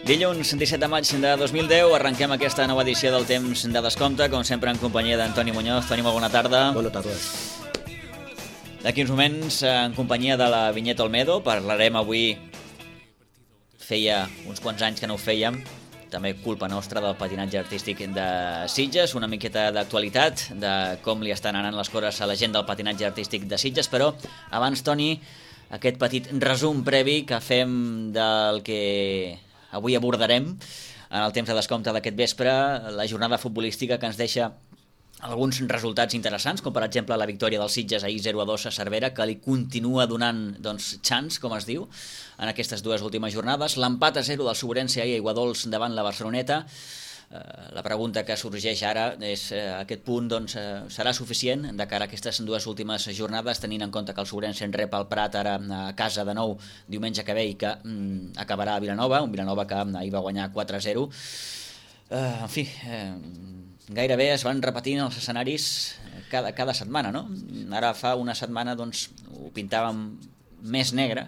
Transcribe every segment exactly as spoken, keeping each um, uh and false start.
Dilluns, disset de maig de dos mil deu, arrenquem aquesta nova edició del Temps de Descompte, com sempre en companyia d'Antoni Muñoz. Toni, molt bona tarda. Bona tarda. D'aquí uns moments, en companyia de la Vinyeta Olmedo, parlarem avui, feia uns quants anys que no ho fèiem, també culpa nostra del patinatge artístic de Sitges, una miqueta d'actualitat, de com li estan anant les coses a la gent del patinatge artístic de Sitges, però abans, Toni, aquest petit resum previ que fem del que avui abordarem en el temps de descompte d'aquest vespre, la jornada futbolística que ens deixa alguns resultats interessants, com per exemple la victòria del Sitges ahir zero a dos a Cervera, que li continua donant doncs, chance, com es diu, en aquestes dues últimes jornades. L'empat a zero del Sobrense ahir a Aiguadols davant la Barceloneta. Eh, la pregunta que sorgeix ara és eh, aquest punt doncs, eh, serà suficient de cara a aquestes dues últimes jornades, tenint en compte que el Sobrense en rep el Prat ara a casa de nou diumenge que ve i que mm, acabarà a Vilanova, un Vilanova que ahir va guanyar quatre a zero. Eh, en fi, eh, gairebé es van repetint els escenaris cada, cada setmana, no? Ara fa una setmana doncs, ho pintàvem més negre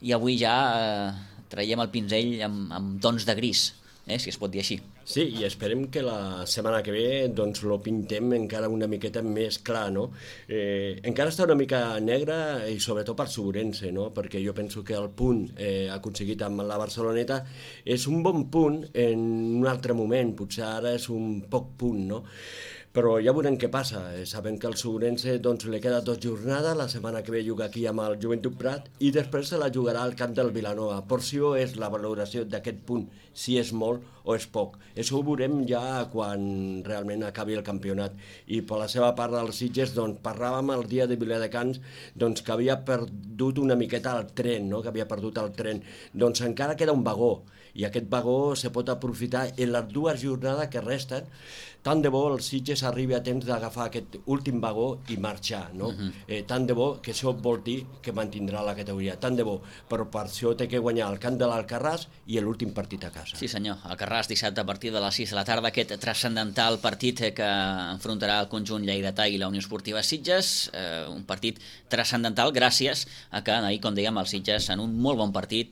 i avui ja eh, traiem el pinzell amb, amb tons de gris, eh, si es pot dir així. Sí, i esperem que la setmana que ve doncs lo pintem encara una miqueta més clar, no? Eh, encara està una mica negre i sobretot per Sobrense, no? Perquè jo penso que el punt eh, aconseguit amb la Barceloneta és un bon punt en un altre moment, potser ara és un poc punt, no? Però ja veurem què passa. Sabem que el Sobrense doncs, li queda dos jornades, la setmana que ve juga aquí amb el Joventut Prat i després se la jugarà al camp del Vilanova. Per si és la valoració d'aquest punt, si és molt o és poc. Això ho veurem ja quan realment acabi el campionat. I per la seva part dels Sitges, doncs, parlàvem el dia de Viladecans doncs, que havia perdut una miqueta el tren, no? que havia perdut el tren. Doncs encara queda un vagó, i aquest vagó se pot aprofitar en les dues jornades que resten. Tant de bo el Sitges arribi a temps d'agafar aquest últim vagó i marxar, no? Uh-huh. eh, tant de bo, que això vol dir que mantindrà la categoria, tant de bo, però per això té que guanyar el camp de l'Alcarràs i l'últim partit a casa. Sí senyor, Alcarràs dissabte a partir de les sis de la tarda, aquest transcendental partit que enfrontarà el conjunt lleidatà i la Unió Esportiva Sitges, eh, un partit transcendental gràcies a que ahir, com dèiem, el Sitges en un molt bon partit,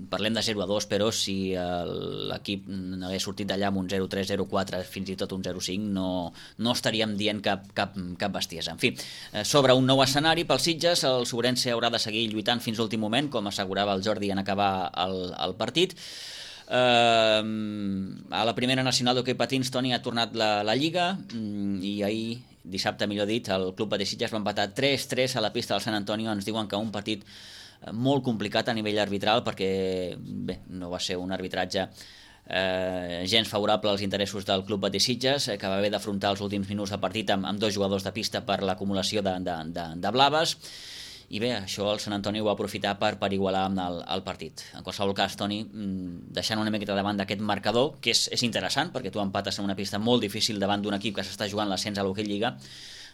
parlem de zero a dos, però si l'equip n'hagués sortit d'allà amb un zero tres, zero quatre, fins i tot un zero cinc, no, no estaríem dient cap, cap, cap bestiesa. En fi, sobre un nou escenari pel Sitges, el Sobrense haurà de seguir lluitant fins l'últim moment, com assegurava el Jordi en acabar el, el partit. Uh, a la primera nacional d'hoquei patins, Toni, ha tornat la, la Lliga i ahir, dissabte millor dit, el Club Patí Sitges va empatar tres tres a la pista del Sant Antonio. Ens diuen que un partit molt complicat a nivell arbitral perquè bé, no va ser un arbitratge eh, gens favorable als interessos del Club Patí Sitges, eh, que va haver d'afrontar els últims minuts de partit amb, amb dos jugadors de pista per l'acumulació de, de, de, de blaves. I bé, això el Sant Antoni ho va aprofitar per, per igualar amb el, el partit. En qualsevol cas, Toni, deixant una miqueta davant d'aquest marcador, que és, és interessant, perquè tu empates en una pista molt difícil davant d'un equip que s'està jugant l'ascens a l'Hockey Lliga,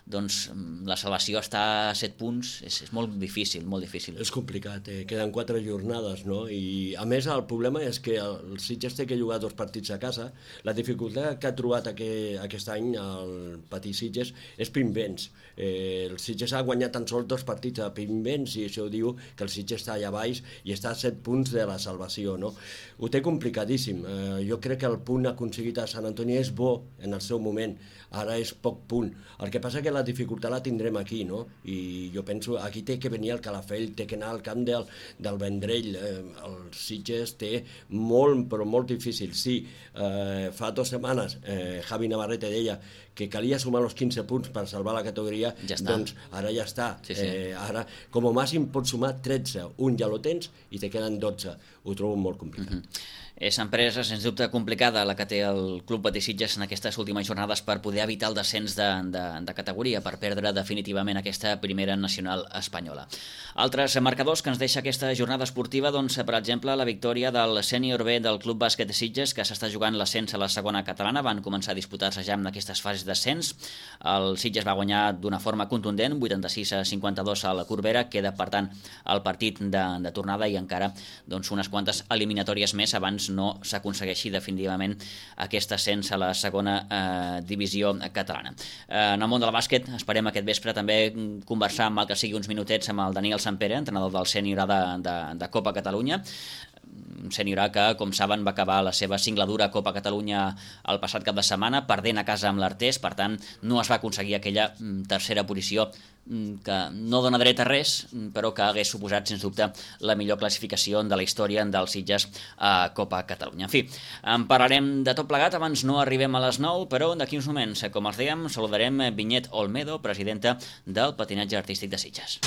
doncs la salvació està a set punts, és, és molt difícil, molt difícil. És complicat, eh? Queden quatre jornades, no? I a més el problema és que el Sitges té que jugar dos partits a casa. La dificultat que ha trobat aquest, aquest any el Patí Sitges és Pimbens. Eh, el Sitges ha guanyat tan sols dos partits a Pimbens i això diu que el Sitges està allà baix i està a set punts de la salvació, no? Ho té complicadíssim. Eh, jo crec que el punt aconseguit a Sant Antoni és bo en el seu moment, ara és poc punt. El que passa que la dificultat la tindrem aquí, no? I jo penso, aquí té que venir el Calafell, té que anar al camp del, del Vendrell. Eh, el Sitges té molt, però molt difícil. Sí, eh, fa dues setmanes eh, Javi Navarrete deia que calia sumar els quinze punts per salvar la categoria, ja doncs ara ja està. Sí, sí. Eh, ara, com a màxim, pots sumar tretze. Un ja lo tens i te queden dotze. Ho trobo molt complicat. Mm-hmm. És empresa, sens dubte, complicada la que té el Club Patí Sitges en aquestes últimes jornades per poder evitar el descens de, de, de categoria, per perdre definitivament aquesta primera nacional espanyola. Altres marcadors que ens deixa aquesta jornada esportiva, doncs, per exemple, la victòria del sènior B del Club Bàsquet Sitges, que s'està jugant l'ascens a la segona catalana. Van començar a disputar-se ja en aquestes fases d'ascens. El Sitges va guanyar d'una forma contundent, vuitanta-sis a cinquanta-dos a la Corbera. Queda, per tant, el partit de, de tornada i encara doncs, unes quantes eliminatòries més abans no s'aconsegueixi definitivament aquest ascens a la segona eh, divisió catalana. Eh, en el món del bàsquet esperem aquest vespre també conversar amb el que sigui uns minutets amb el Daniel Sampere, entrenador del sènior de, de, de Copa Catalunya. un sènior A que, com saben, va acabar la seva singladura Copa Catalunya el passat cap de setmana, perdent a casa amb l'Artés, per tant, no es va aconseguir aquella tercera posició que no dona dret a res, però que hagués suposat, sens dubte, la millor classificació de la història dels Sitges a Copa Catalunya. En fi, en parlarem de tot plegat, abans no arribem a les nou, però d'aquí uns moments, com els dèiem, saludarem Vinyet Olmedo, presidenta del Patinatge Artístic de Sitges.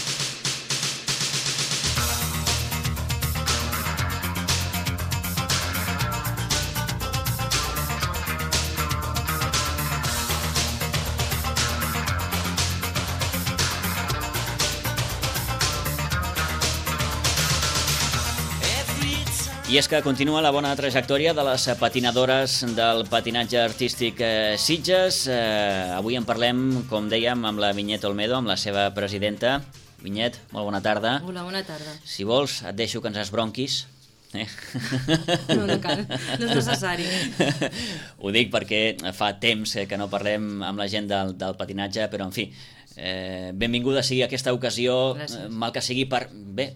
I és que continua la bona trajectòria de les patinadores del patinatge artístic Sitges. Eh, avui en parlem, com dèiem, amb la Vinyet Olmedo, amb la seva presidenta. Vinyet, molt bona tarda. Hola, bona tarda. Si vols, et deixo que ens esbronquis. Eh? No, no cal, no és necessari. Ho dic perquè fa temps que no parlem amb la gent del, del patinatge, però en fi, eh, benvinguda sigui aquesta ocasió. Gràcies. Mal que sigui per, bé,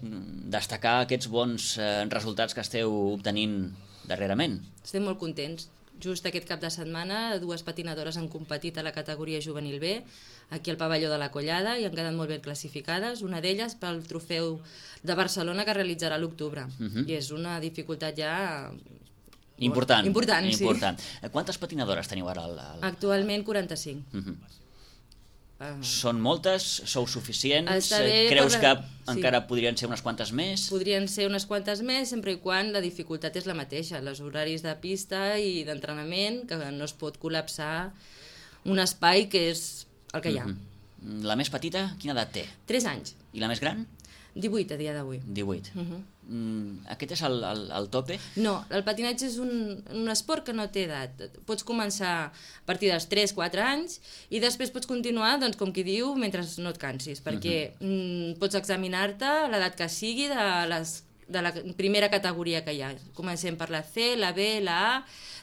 destacar aquests bons eh, resultats que esteu obtenint darrerament. Estem molt contents. Just aquest cap de setmana dues patinadores han competit a la categoria juvenil B, aquí al pavelló de la Collada, i han quedat molt ben classificades, una d'elles pel trofeu de Barcelona que realitzarà a l'octubre. Uh-huh. I és una dificultat ja... Important. Important, Important. Sí. Quantes patinadores teniu ara? Al, al... Actualment quaranta-cinc. Uh-huh. Uh, Són moltes? Sou suficients? Bé, Creus la... que encara sí. podrien ser unes quantes més? Podrien ser unes quantes més, sempre i quan la dificultat és la mateixa, els horaris de pista i d'entrenament, que no es pot col·lapsar un espai que és el que hi ha. Uh-huh. La més petita, quina edat té? tres anys. I la més gran? divuit a dia d'avui. divuit. Uh-huh. Mm, aquest és el, el, el tope? No, el patinatge és un, un esport que no té edat. Pots començar a partir dels tres quatre anys i després pots continuar, doncs, com qui diu, mentre no et cansis, perquè uh-huh. mm, pots examinar-te a l'edat que sigui de, les, de la primera categoria que hi ha. Comencem per la C, la B, la A,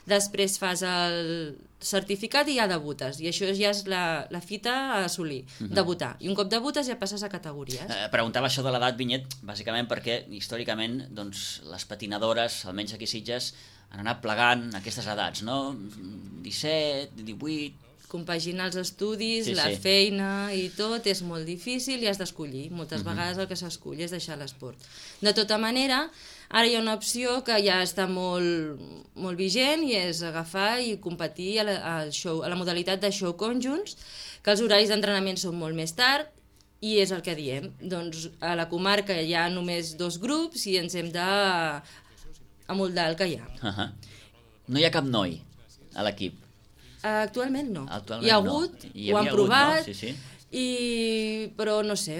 després fas el certificat i ja debutes, i això ja és la, la fita a assolir, uh-huh. debutar, i un cop debutes ja passes a categories. Eh, preguntava això de l'edat, Vinyet, bàsicament perquè històricament doncs, les patinadores, almenys aquí a Sitges, han anat plegant aquestes edats, no? disset, divuit... Compaginar els estudis, sí, la sí. feina i tot és molt difícil i has d'escollir. Moltes uh-huh. vegades el que s'escull és deixar l'esport. De tota manera, ara hi ha una opció que ja està molt, molt vigent i és agafar i competir a la, al show, a la modalitat de show conjunts, que els horaris d'entrenament són molt més tard i és el que diem. Doncs a la comarca hi ha només dos grups i ens hem de amoldar el que hi ha. Uh-huh. No hi ha cap noi a l'equip? Actualment no. Actualment hi ha hagut, no. Hi ho han hagut, provat, no? sí, sí. I... però no sé,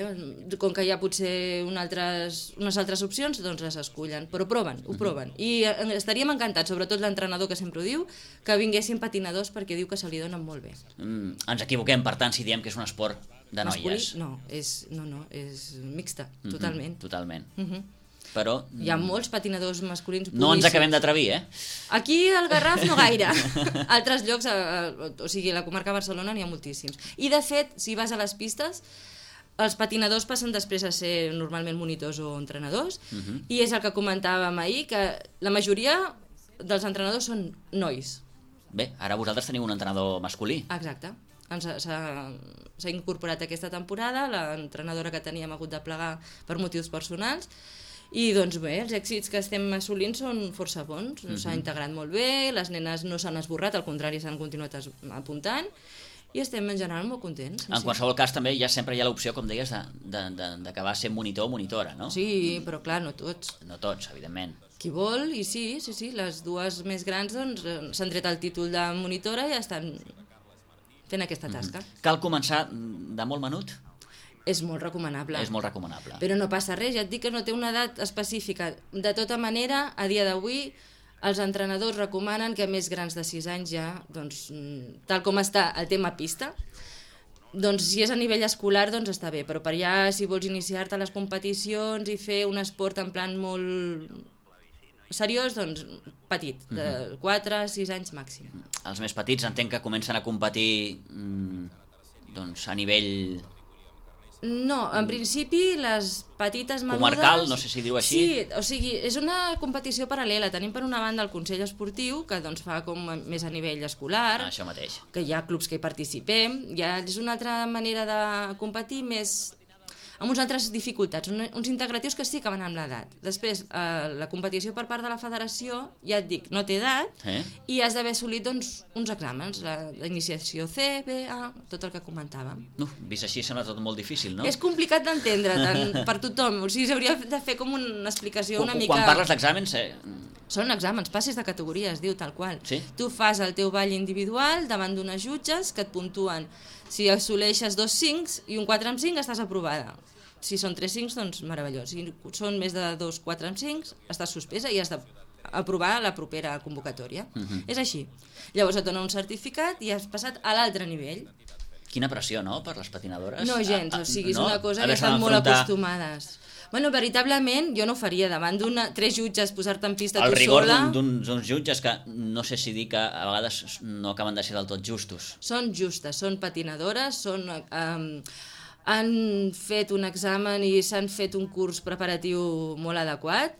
com que hi ha potser una altres, unes altres opcions, doncs les escullen, però proven, ho proven. I estaríem encantats, sobretot l'entrenador que sempre ho diu, que vinguessin patinadors perquè diu que se li donen molt bé. Mm, ens equivoquem, per tant, si diem que és un esport de Masculí? noies. No, és, no, no, és mixta, totalment. Mm-hmm, totalment. Mm-hmm. Però... Hi ha molts patinadors masculins boníssims. No ens acabem d'atrevir, eh? Aquí al Garraf no gaire. Altres llocs, o sigui, a la comarca de Barcelona n'hi ha moltíssims. I de fet, si vas a les pistes, els patinadors passen després a ser normalment monitors o entrenadors, uh-huh. i és el que comentàvem ahir, que la majoria dels entrenadors són nois. Bé, ara vosaltres teniu un entrenador masculí. Exacte. S'ha incorporat aquesta temporada, l'entrenadora que teníem hagut de plegar per motius personals. I doncs bé, els èxits que estem assolint són força bons, uh-huh. s'ha integrat molt bé, les nenes no s'han esborrat, al contrari s'han continuat apuntant i estem en general molt contents. En sí. qualsevol cas també ja sempre hi ha l'opció, com deies, d'acabar sent monitor o monitora, no? Sí, però clar, no tots. No tots, evidentment. Qui vol, i sí, sí, sí, les dues més grans doncs, s'han tret el títol de monitora i estan fent aquesta tasca. Uh-huh. Cal començar de molt menut? És molt recomanable. És molt recomanable. Però no passa res, ja et dic que no té una edat específica. De tota manera, a dia d'avui, els entrenadors recomanen que més grans de sis anys ja, doncs, tal com està el tema pista, doncs si és a nivell escolar, doncs està bé, però per ja, si vols iniciar-te a les competicions i fer un esport en plan molt seriós, doncs petit, de quatre a sis anys màxim. Els més petits entenc que comencen a competir doncs, a nivell No, en principi les petites menudes... Comarcal, no sé si diu així. Sí, o sigui, és una competició paral·lela. Tenim per una banda el Consell Esportiu, que doncs fa com més a nivell escolar, Ah, això mateix. que hi ha clubs que hi participem, ja és una altra manera de competir més amb uns altres dificultats, un, uns integratius que sí que van amb l'edat. Després, eh, la competició per part de la federació, ja et dic, no té edat, Eh? i has d'haver assolit doncs, uns exàmens, la, la iniciació C, B, A, tot el que comentàvem. No, vist així sembla tot molt difícil, no? És complicat d'entendre tant per tothom, o sigui, s'hauria de fer com una explicació una Quan- mica... Quan parles d'exàmens, eh, Són exàmens, passes de categoria, es diu tal qual. Sí? Tu fas el teu ball individual davant d'unes jutges que et puntuen. Si assoleixes dos cinc i un quatre amb cinc, estàs aprovada. Si són tres cinc, doncs meravellós. Si són més de dos quatre amb cinc, estàs suspesa i has d'aprovar la propera convocatòria. Uh -huh. És així. Llavors et dona un certificat i has passat a l'altre nivell. quina pressió, no?, per les patinadores. No gens, Ah, ah, o sigui, és no? una cosa que Haver-se estan molt d'enfrontar acostumades. Bueno, veritablement, jo no ho faria davant d'una tres jutges posar-te en pista El tu rigor sola. d'un- d'uns jutges que no sé si dir que a vegades no acaben de ser del tot justos. Són justes, són patinadores, són, um, han fet un examen i s'han fet un curs preparatiu molt adequat,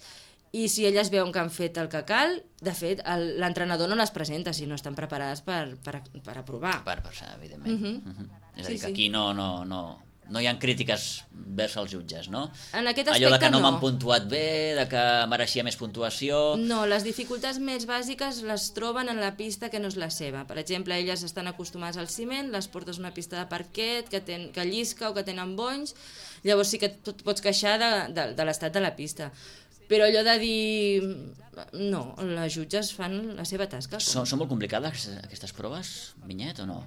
i si elles veuen que han fet el que cal, de fet, el- l'entrenador no les presenta si no estan preparades per, per, per aprovar. Per, per ser, evidentment. Mhm. Mhm. És a Sí, dir, que sí. aquí no, no, no, no hi ha crítiques vers els jutges, no? En aquest Allò de aspecte que no, no. m'han puntuat bé, de que mereixia més puntuació... No, les dificultats més bàsiques les troben en la pista que no és la seva. Per exemple, elles estan acostumades al ciment, les portes a una pista de parquet que, ten, que llisca o que tenen bonys, llavors sí que et pots queixar de, de, de l'estat de la pista. Però allò de dir... No, les jutges fan la seva tasca. Són, són molt complicades aquestes proves, Vinyet, o no?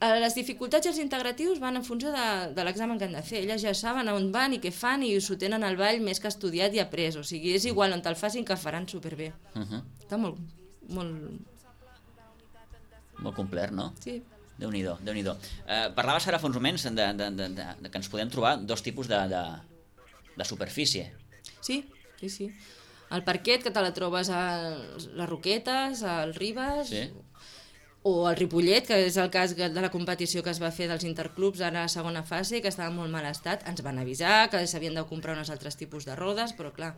Eh, Les dificultats i els integratius van en funció de, de l'examen que han de fer. Elles ja saben on van i què fan i s'ho tenen al ball més que estudiat i après. O sigui, és igual on te'l facin que faran superbé. Uh -huh. Està molt... molt... Molt complet, no? Sí. Déu-n'hi-do, Déu-n'hi-do. Eh, parlaves ara fa uns moments de, de, de, de, de que ens podem trobar dos tipus de, de, de superfície. Sí, sí, sí. El parquet, que te la trobes a les Roquetes, al Ribes, Sí. o al Ripollet, que és el cas de la competició que es va fer dels interclubs ara a la segona fase, que estava en molt mal estat. Ens van avisar que s'havien de comprar uns altres tipus de rodes, però clar,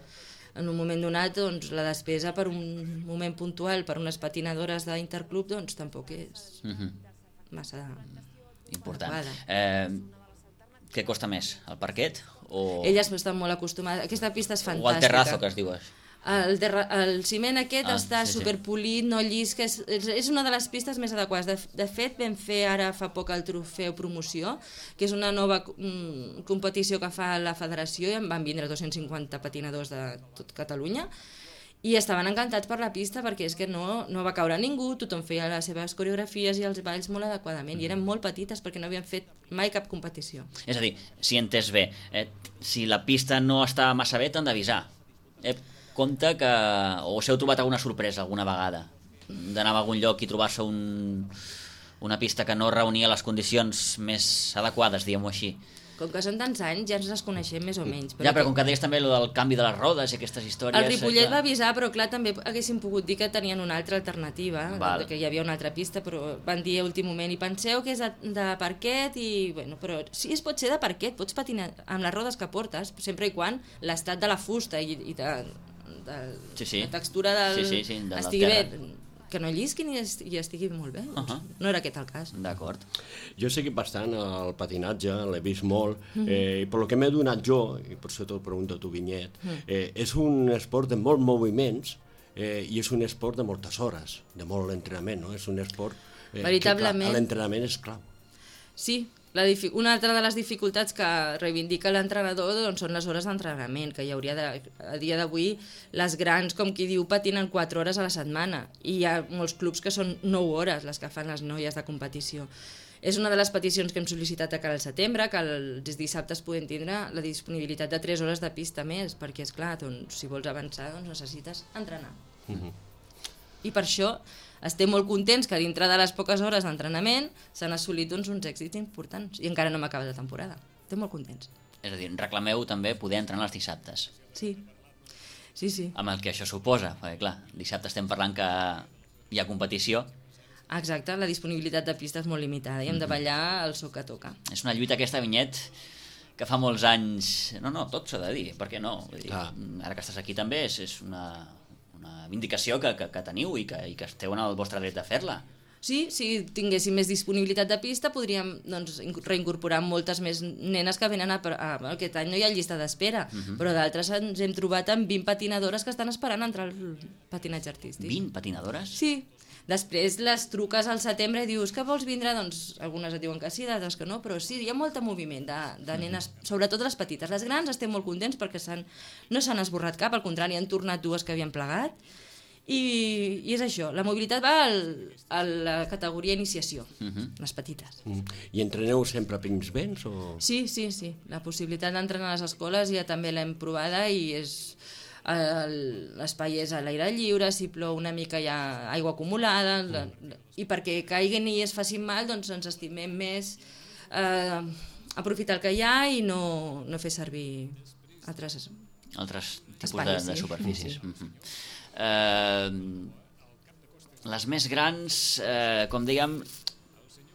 en un moment donat doncs, la despesa per un moment puntual per unes patinadores d'interclub doncs tampoc és Uh -huh. massa... Important. adequada. Eh, què costa més, el parquet o, Elles estan molt acostumades. Aquesta pista és fantàstica. o el terrazo, que es diu? El, terra, el ciment aquest Ah, ah, està sí, sí. superpolit, no llisca, és, és és una de les pistes més adequades. De, de fet, vam fer ara fa poc el trofeu promoció, que és una nova mm, competició que fa la federació, i en van vindre dos-cents cinquanta patinadors de tot Catalunya, i estaven encantats per la pista perquè és que no, no va caure ningú, tothom feia les seves coreografies i els balls molt adequadament, i eren molt petites perquè no havien fet mai cap competició. És a dir, si he entès bé, eh, si la pista no està massa bé, t'han d'avisar. Eh, compte que... O us heu trobat alguna sorpresa alguna vegada? D'anar a algun lloc i trobar-se un, una pista que no reunia les condicions més adequades, diguem-ho així. Com que són tants anys, ja ens les coneixem més o menys. Ja, però com que deies també el del canvi de les rodes i aquestes històries... El Ripollet eh, va avisar, però clar, també haguessin pogut dir que tenien una altra alternativa, Val. que hi havia una altra pista, però van dir a últim moment, i penseu que és de, de parquet, i bueno, però sí, es pot ser de parquet, pots patinar amb les rodes que portes, sempre i quan l'estat de la fusta i, i de, de Sí, sí. la textura del... Sí, sí, sí, de la estigui terra. bé, que no llisqui ni est i estigui molt bé. Uh Doncs -huh. no era aquest el cas. D'acord. Jo he seguit bastant el patinatge, l'he vist molt, eh, i per lo que m'he donat jo, i per això te'l pregunto a tu, Vinyet, eh, és un esport de molts moviments eh, i és un esport de moltes hores, de molt entrenament, no? És un esport eh, Veritablement. que clar, l'entrenament és clau. Sí, la difi- una altra de les dificultats que reivindica l'entrenador doncs, són les hores d'entrenament, que hi hauria de, a dia d'avui les grans, com qui diu, patinen quatre hores a la setmana, i hi ha molts clubs que són nou hores les que fan les noies de competició. És una de les peticions que hem sol·licitat a cara al setembre, que els dissabtes podem tindre la disponibilitat de tres hores de pista més, perquè, és clar, doncs, si vols avançar doncs necessites entrenar. Uh-huh. I per això estem molt contents que dintre de les poques hores d'entrenament s'han assolit doncs, uns èxits importants, i encara no hem acabat la temporada. Estem molt contents. És a dir, reclameu també poder entrenar els dissabtes, Sí, sí, sí. amb el que això suposa, perquè clar, dissabte estem parlant que hi ha competició, Exacte, la disponibilitat de pista és molt limitada i hem de ballar el so que toca. és una lluita aquesta, Vinyet, que fa molts anys... No, no, tot s'ha de dir, per què no? Vull dir, Clar. ara que estàs aquí també és, és una, una vindicació que, que, que teniu i que, i que esteu en el vostre dret de fer-la. Sí, si tinguéssim més disponibilitat de pista podríem doncs, reincorporar moltes més nenes que venen a, a, a aquest any no hi ha llista d'espera, uh -huh. però d'altres ens hem trobat amb vint patinadores que estan esperant entrar al patinatge artístic. vint patinadores? Sí. Després les truques al setembre i dius que vols vindre, doncs algunes et diuen que sí, d'altres que no, però sí, hi ha molt moviment de, de nenes, sobretot les petites. Les grans estem molt contents perquè no s'han esborrat cap, al contrari, han tornat dues que havien plegat, i, i és això, la mobilitat va al, a la categoria iniciació, uh-huh. les petites. Mm. I entreneu sempre pins vents? O... Sí, sí, sí, la possibilitat d'entrenar a les escoles ja també l'hem provada i és... l'espai és a l'aire lliure, si plou una mica hi ha aigua acumulada, la, la, i perquè caiguin i es facin mal, doncs ens estimem més eh, aprofitar el que hi ha i no, no fer servir altres, altres tipus espais, de, de sí. superfícies. Sí. Mm-hmm. eh, les més grans, eh, com dèiem,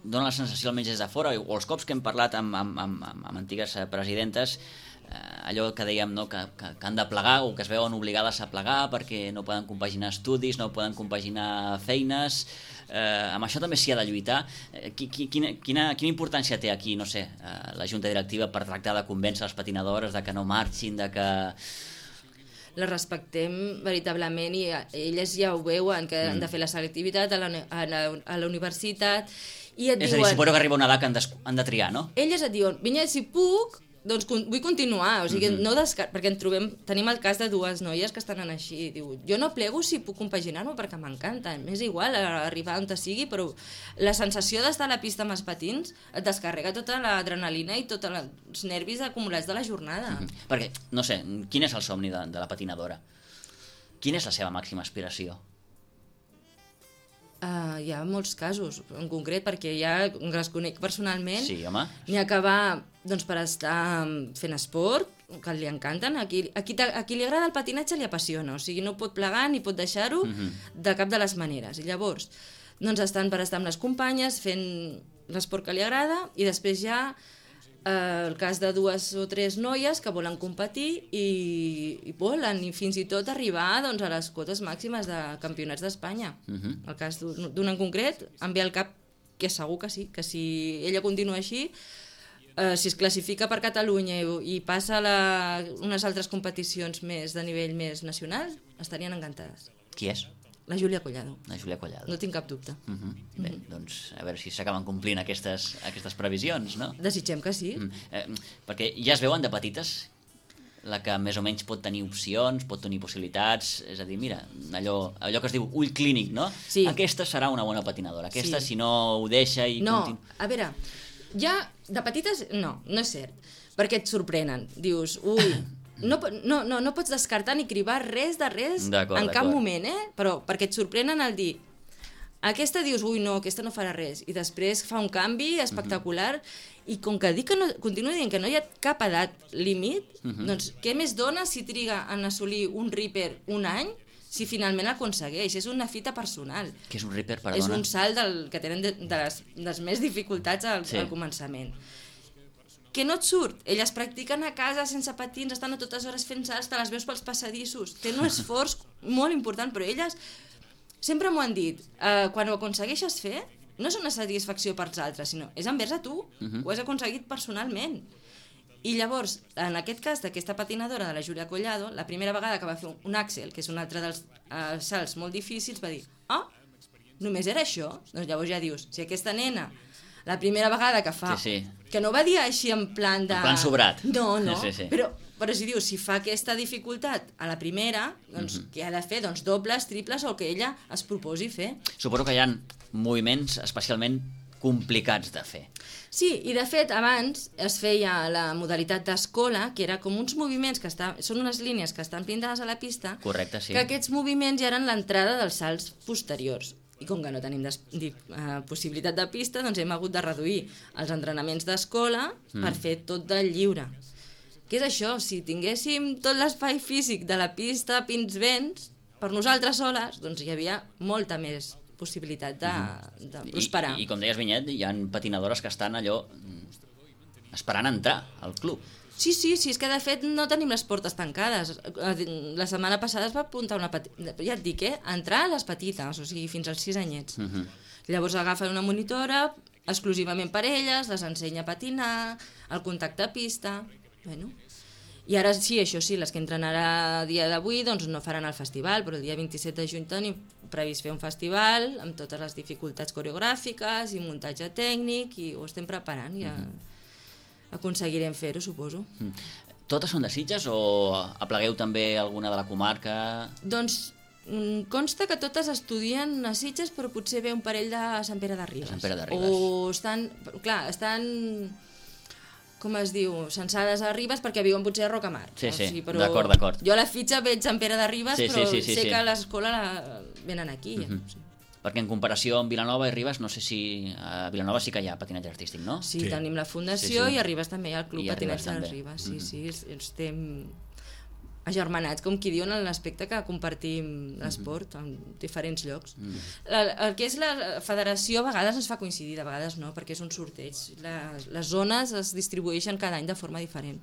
donen la sensació almenys des de fora, o els cops que hem parlat amb, amb, amb, amb antigues presidentes, Eh, allò que dèiem, no? que, que, que han de plegar o que es veuen obligades a plegar perquè no poden compaginar estudis, no poden compaginar feines, eh, amb això també s'hi ha de lluitar. Eh, quina, quina, quina importància té aquí, no sé, eh, la Junta Directiva per tractar de convèncer les patinadores de que no marxin, de que... Les respectem veritablement i elles ja ho veuen, que mm. han de fer la selectivitat a la, a la, a la universitat i et és diuen... a dir, suposo que arriba una edat que han de, han de triar, no? Elles et diuen, Vinyet, si puc... doncs vull continuar, o sigui, mm -hmm. no descar... perquè en trobem, tenim el cas de dues noies que estan així, diu, jo no plego si puc compaginar-ho perquè m'encanta, m'és igual arribar on te sigui, però la sensació d'estar a la pista amb els patins et descarrega tota l'adrenalina i tots els nervis acumulats de la jornada. Mm -hmm. Perquè, no sé, quin és el somni de, de la patinadora? Quina és la seva màxima aspiració? Uh, hi ha molts casos, en concret, perquè ja les conec personalment. Sí, home. N'hi ha que va doncs, per estar fent esport, que li encanten. A qui, a, qui, a qui li agrada el patinatge li apassiona, o sigui, no pot plegar ni pot deixar-ho uh-huh. de cap de les maneres. I llavors, doncs estan per estar amb les companyes, fent l'esport que li agrada, i després ja eh, el cas de dues o tres noies que volen competir i, i volen, i fins i tot arribar doncs, a les quotes màximes de campionats d'Espanya. Uh-huh. El cas d'una en concret, em ve al cap que segur que sí, que si ella continua així, Uh, si es classifica per Catalunya i, i passa a la, unes altres competicions més de nivell més nacional, estarien encantades. Qui és? La Júlia Collado. La Júlia Collado. No tinc cap dubte. Uh -huh. Bé, uh -huh. doncs a veure si s'acaben complint aquestes, aquestes previsions, no? Desitgem que sí. Mm. Eh, perquè ja es veuen de petites la que més o menys pot tenir opcions, pot tenir possibilitats, és a dir, mira, allò, allò que es diu ull clínic, no? Sí. Aquesta serà una bona patinadora, aquesta sí. si no ho deixa i... No, continu... a veure... Ja, de petites, no, no és cert, perquè et sorprenen. Dius, ui, no, no, no, no pots descartar ni cribar res de res en cap moment, eh? Però perquè et sorprenen al dir, aquesta dius, ui, no, aquesta no farà res, i després fa un canvi espectacular, uh-huh. i com que dic que no, continua dient que no hi ha cap edat límit, uh-huh. doncs què més dona si triga en assolir un Ripper un any, si finalment l'aconsegueix? És una fita personal. Què és un Ripper, perdona? És un salt del, que tenen de, de, les, de les més dificultats al, sí. al començament. Que no et surt. Elles practiquen a casa sense patins, estan a totes hores fent salts, te les veus pels passadissos. Té un esforç molt important, però elles sempre m'ho han dit. Uh, quan ho aconsegueixes fer, no és una satisfacció pels altres, sinó és envers a tu. Uh-huh. Ho has aconseguit personalment. I llavors, en aquest cas d'aquesta patinadora de la Júlia Collado, la primera vegada que va fer un Axel, que és un altre dels uh, salts molt difícils, va dir, ah, només era això? Doncs llavors ja dius, si aquesta nena, la primera vegada que fa, sí, sí. que no va dir així en plan de... En plan sobrat. No, no, sí, sí, sí. Però, però si dius, si fa aquesta dificultat a la primera, doncs mm-hmm. què ha de fer? Doncs dobles, triples o el que ella es proposi fer. Suposo que hi ha moviments especialment complicats de fer. Sí, i de fet abans es feia la modalitat d'escola, que era com uns moviments que està, són unes línies que estan pintades a la pista. Correcte, sí. Que aquests moviments ja eren l'entrada dels salts posteriors. I com que no tenim des, di, uh, possibilitat de pista, doncs hem hagut de reduir els entrenaments d'escola mm. per fer tot de lliure. Què és això? Si tinguéssim tot l'espai físic de la pista, pins vents, per nosaltres soles, doncs hi havia molta més possibilitat de, de prosperar. I, i com deies, Vinyet, hi ha patinadores que estan allò esperant entrar al club. Sí, sí, sí, és que de fet no tenim les portes tancades. La setmana passada es va apuntar una petita... Ja et dic, eh? Entrar a les petites, o sigui, fins als sis anyets. Uh -huh. Llavors agafen una monitora exclusivament per elles, les ensenya a patinar, el contacte a pista... Bueno... I ara sí, això sí, les que entren ara a dia d'avui doncs no faran el festival, però el dia vint-i-set de juny tenim previst fer un festival amb totes les dificultats coreogràfiques i muntatge tècnic i ho estem preparant i ja uh -huh. aconseguirem fer-ho, suposo. Mm. Totes són de Sitges o aplegueu també alguna de la comarca? Doncs consta que totes estudien a Sitges, però potser ve un parell de Sant Pere de Ribes. Sant Pere de Ribes. O estan, clar, estan... com es diu, censades a Ribes perquè viuen potser a Rocamar. Sí, sí, o sigui, però d'acord, d'acord. Jo a la fitxa veig Sant Pere de Ribes, sí, però sí, sí, sí, sé sí. que a l'escola la... venen aquí. Ja. Uh-huh. Sí. Perquè en comparació amb Vilanova i Ribes, no sé si... A Vilanova sí que hi ha patinatge artístic, no? Sí, sí. tenim la fundació sí, sí. i a Ribes també hi ha el Club I a Patinatge de Ribes Ribes. Sí, uh-huh. sí, estem agermanats, com qui diuen, en l'aspecte que compartim l'esport en diferents llocs. Mm. La, el que és la federació a vegades ens fa coincidir, de vegades no, perquè és un sorteig. Les, les zones es distribueixen cada any de forma diferent.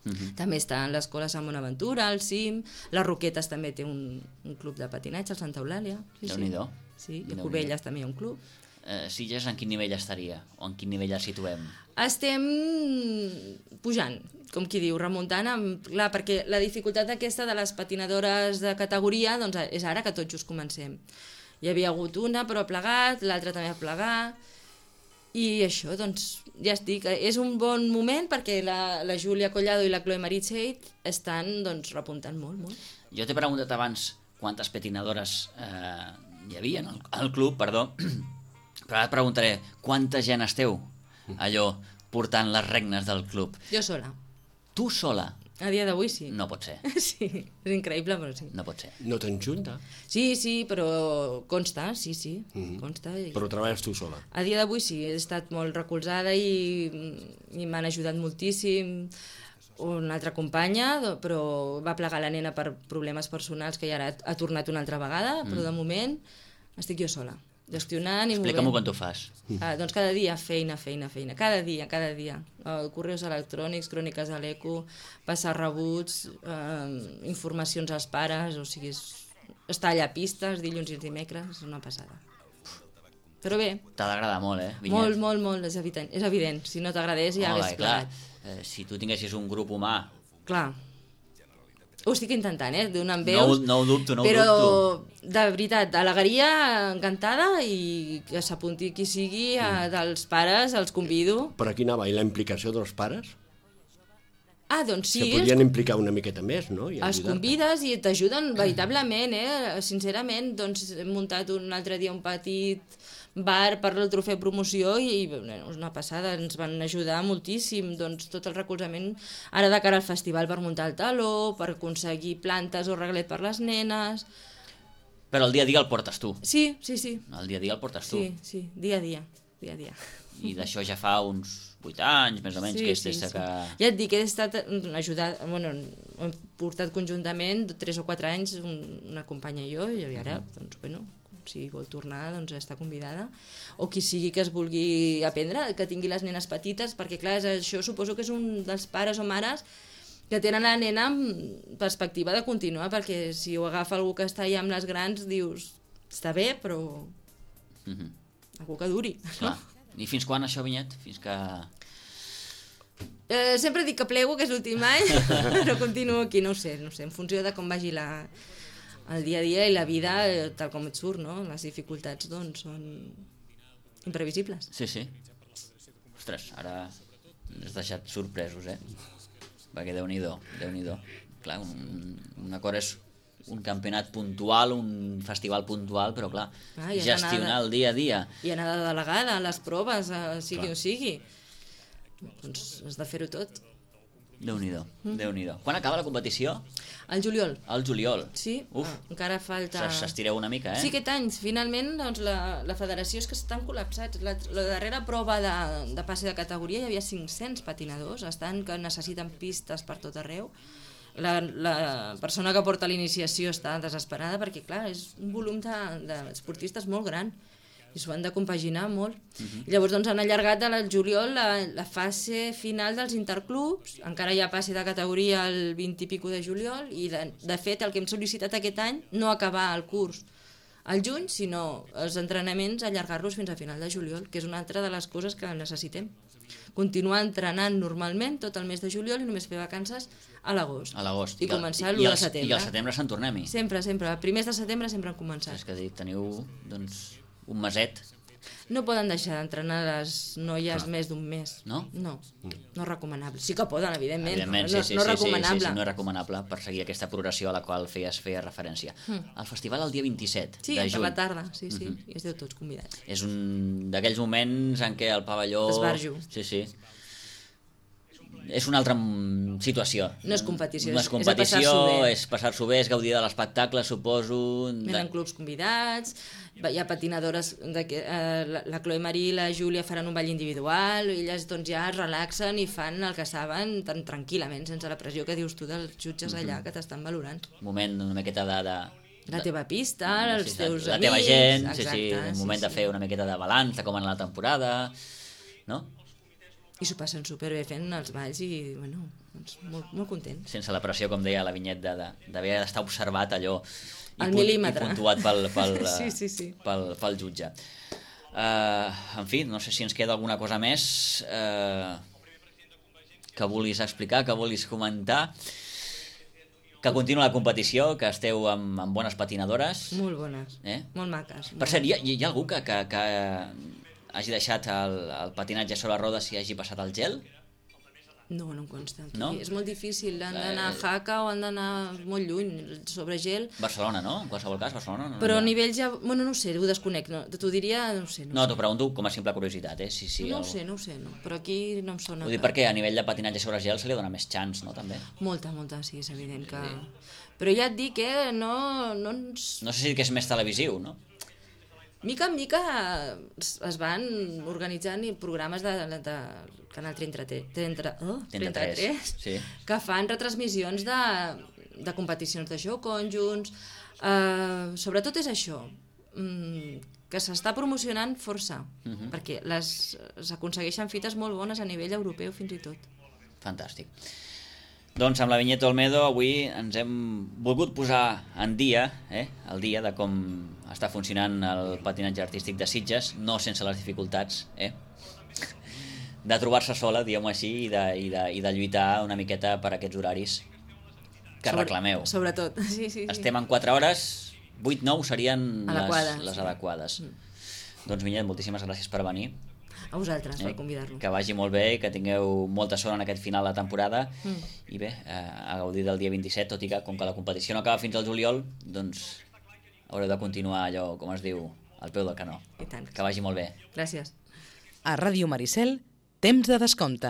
Mm-hmm. També està en l'escola Sant Bonaventura, el CIM, les Roquetes també té un, un club de patinatge, el Santa Eulàlia. Sí, Déu-n'hi-do. Sí, i a Cubelles també hi ha un club. Eh, Sitges en quin nivell estaria? O en quin nivell el situem? Estem pujant, com qui diu, remuntant, amb, clar, perquè la dificultat aquesta de les patinadores de categoria doncs, és ara que tot just comencem. Hi havia hagut una, però ha plegat, l'altra també ha plegat, i això, doncs, ja estic. És un bon moment perquè la, la Júlia Collado i la Chloe Maritzeit estan, doncs, repuntant molt, molt. Jo t'he preguntat abans quantes patinadores eh, hi havia al, al club, perdó, però ara et preguntaré quanta gent esteu allò portant les regnes del club. Jo sola. Tu sola? A dia d'avui sí. No pot ser. Sí, és increïble, però sí. No pot ser. No te'n junta? Sí, sí, però consta, sí, sí, mm-hmm. consta. I... Però treballes tu sola? A dia d'avui sí, he estat molt recolzada i, i m'han ajudat moltíssim. Una altra companya, però va plegar la nena per problemes personals que ja ara ha tornat una altra vegada, però de moment estic jo sola, gestionant i movent. Explica-m'ho quan t'ho fas. Ah, doncs cada dia feina, feina, feina, cada dia, cada dia. Uh, correus electrònics, cròniques a l'eco, passar rebuts, uh, informacions als pares, o sigui, és, estar allà a pistes, dilluns i dimecres, és una passada. Però bé. T'ha d'agradar molt, eh, Vinyet? Molt, molt, molt, és evident. És evident. Si no t'agradés ja hagués plegat. Eh, si tu tinguessis un grup humà... Clar. Ho estic intentant, eh, donant veus. No, no ho dubto, no ho però, dubto. Però, de veritat, alegria encantada i que s'apunti qui sigui, a, dels pares, els convido. Per aquí anava, i la implicació dels pares? Ah, doncs sí. Se podrien implicar una miqueta més, no? I els convides i t'ajuden veritablement, eh? Sincerament, doncs hem muntat un altre dia un petit bar per el trofeu promoció i és una passada, ens van ajudar moltíssim, doncs tot el recolzament ara de cara al festival per muntar el taló, per aconseguir plantes o reglet per les nenes. Però el dia a dia el portes tu. Sí, sí, sí. El dia a dia el portes tu. Sí, sí, dia a dia, dia a dia. I d'això ja fa uns vuit anys, més o menys, sí, que és sí, des sí. que... Ja et dic, he estat ajudat, bueno, hem portat conjuntament tres o quatre anys una companya i jo, i ara, doncs, bueno, si vol tornar, doncs està convidada. O qui sigui que es vulgui aprendre, que tingui les nenes petites, perquè clar, això suposo que és un dels pares o mares que tenen la nena amb perspectiva de continuar, perquè si ho agafa algú que està allà amb les grans, dius, està bé, però Mm-hmm. algú que duri. Clar. I fins quan això, Vinyet? Fins que... Eh, sempre dic que plego, que és l'últim any, però continuo aquí, no ho sé, no ho sé, en funció de com vagi la, el dia a dia i la vida, eh, tal com et surt, no? Les dificultats, doncs, són imprevisibles. Sí, sí. Ostres, ara ens has deixat sorpresos, eh? Perquè Déu-n'hi-do, Déu-n'hi-do. Clar, un, una cosa és un campionat puntual, un festival puntual, però clar, ah, ja gestionar el dia a dia. I anar de delegada a les proves, a sigui clar. o sigui. Doncs has de fer-ho tot. Déu-n'hi-do, mm. Déu-n'hi-do. Quan acaba la competició? Al juliol. Al juliol. Sí, Uf. ah, encara falta... S'estireu una mica, eh? Sí, aquest any, finalment, doncs, la, la federació és que estan col·lapsats. La, la darrera prova de, de passe de categoria hi havia cinc-cents patinadors, estan que necessiten pistes per tot arreu. La, la persona que porta l'iniciació està desesperada perquè, clar, és un volum d'esportistes de, de molt gran i s'ho han de compaginar molt. Uh-huh. I llavors doncs, han allargat al juliol la, la fase final dels interclubs, encara hi ha passe de categoria el vint i pico de juliol, i de, de fet el que hem sol·licitat aquest any no acabar el curs al juny, sinó els entrenaments allargar-los fins a final de juliol, que és una altra de les coses que necessitem. Continuar entrenant normalment tot el mes de juliol i només fer vacances a l'agost. A l'agost. I, I començar l'u de setembre. I al setembre se'n tornem-hi. Sempre, sempre. A primers de setembre sempre han començat. És que dic, teniu doncs, un meset. No poden deixar d'entrenar les noies Clar. més d'un mes. No? No, no és recomanable. Sí que poden, evidentment, Evidentment, no, sí, sí, no, no sí, recomanable. sí, sí, no és recomanable per seguir aquesta progressió a la qual feies, feies referència. Mm. El festival el dia vint-i-set sí, de juny. per la tarda, sí, sí, uh-huh. i esteu tots convidats. És un d'aquells moments en què el pavelló... Esbarjo. Sí, sí. És una altra situació. No és competició, no és, és competició, passar-s'ho bé. és passar-s'ho bé, és gaudir de l'espectacle, suposo. Venen De... clubs convidats, hi ha patinadores, de que, eh, la, la Chloe Marie i la Júlia faran un ball individual, i elles doncs, ja es relaxen i fan el que saben tan tranquil·lament, sense la pressió que dius tu dels jutges allà Mm-hmm. que t'estan valorant. Un moment una miqueta de... de... La teva pista, de, els sí, teus la amics... teva gent, exacte, sí, sí, un moment sí, de fer sí. una miqueta de balanç de com ha anat la temporada, no? I s'ho passen superbé fent els balls i, bueno, doncs molt, molt contents. Sense la pressió, com deia la Vinyet, d'haver de, de, d'estar observat allò i, Al punt, mil·límetre. i puntuat pel, pel, Sí, sí, sí. pel, pel jutge. Uh, en fi, no sé si ens queda alguna cosa més uh, que vulguis explicar, que vulguis comentar. Que continua la competició, que esteu amb, amb bones patinadores. Molt bones, Eh? molt maques. Per cert, hi ha, hi ha algú que, que, que hagi deixat el, el patinatge sobre rodes i hagi passat el gel? No, no em consta. Aquí. No? És molt difícil, han Eh, d'anar a Jaca o han d'anar molt lluny, sobre gel. Barcelona, no? En qualsevol cas, Barcelona. No, Però a no, nivell ja... Bueno, no ho sé, ho desconec. No, t'ho diria, no ho sé. No, no ho t'ho pregunto com a simple curiositat, eh? Si, sé. si no el... ho sé, no ho sé, no. Però aquí no em sona. Ho dic perquè a nivell de patinatge sobre gel se li dona més chance, no? També. Molta, molta, sí, és evident que... Però ja et dic, eh, no, no ens... No sé si que és més televisiu, no? Mica en mica es, es van organitzant i programes de, de, de Canal trenta-tres, trenta, oh, trenta-tres, sí. que fan retransmissions de, de competicions de joc conjunts. Uh, sobretot és això, mm, que s'està promocionant força, Mhm. perquè les s'aconsegueixen fites molt bones a nivell europeu fins i tot. Fantàstic. Doncs amb la Vinyeta Olmedo avui ens hem volgut posar en dia, eh, el dia de com està funcionant el patinatge artístic de Sitges, no sense les dificultats, eh, de trobar-se sola, diguem-ho així, i de, i, de, i de lluitar una miqueta per aquests horaris que Sobre- reclameu. Sobretot, sí, sí. sí. Estem en quatre hores, vuit nou serien Adequades. les, les adequades. Mm. Doncs Vinyet, moltíssimes gràcies per venir. A vosaltres, per Eh, convidar-nos. que vagi molt bé i que tingueu molta sort en aquest final de temporada Mm. i bé, eh, a gaudir del dia vint-i-set, tot i que com que la competició no acaba fins al juliol, doncs haureu de continuar allò, com es diu, al peu del canó. I tant. Que vagi molt bé. Gràcies. A Ràdio Maricel, temps de descompte.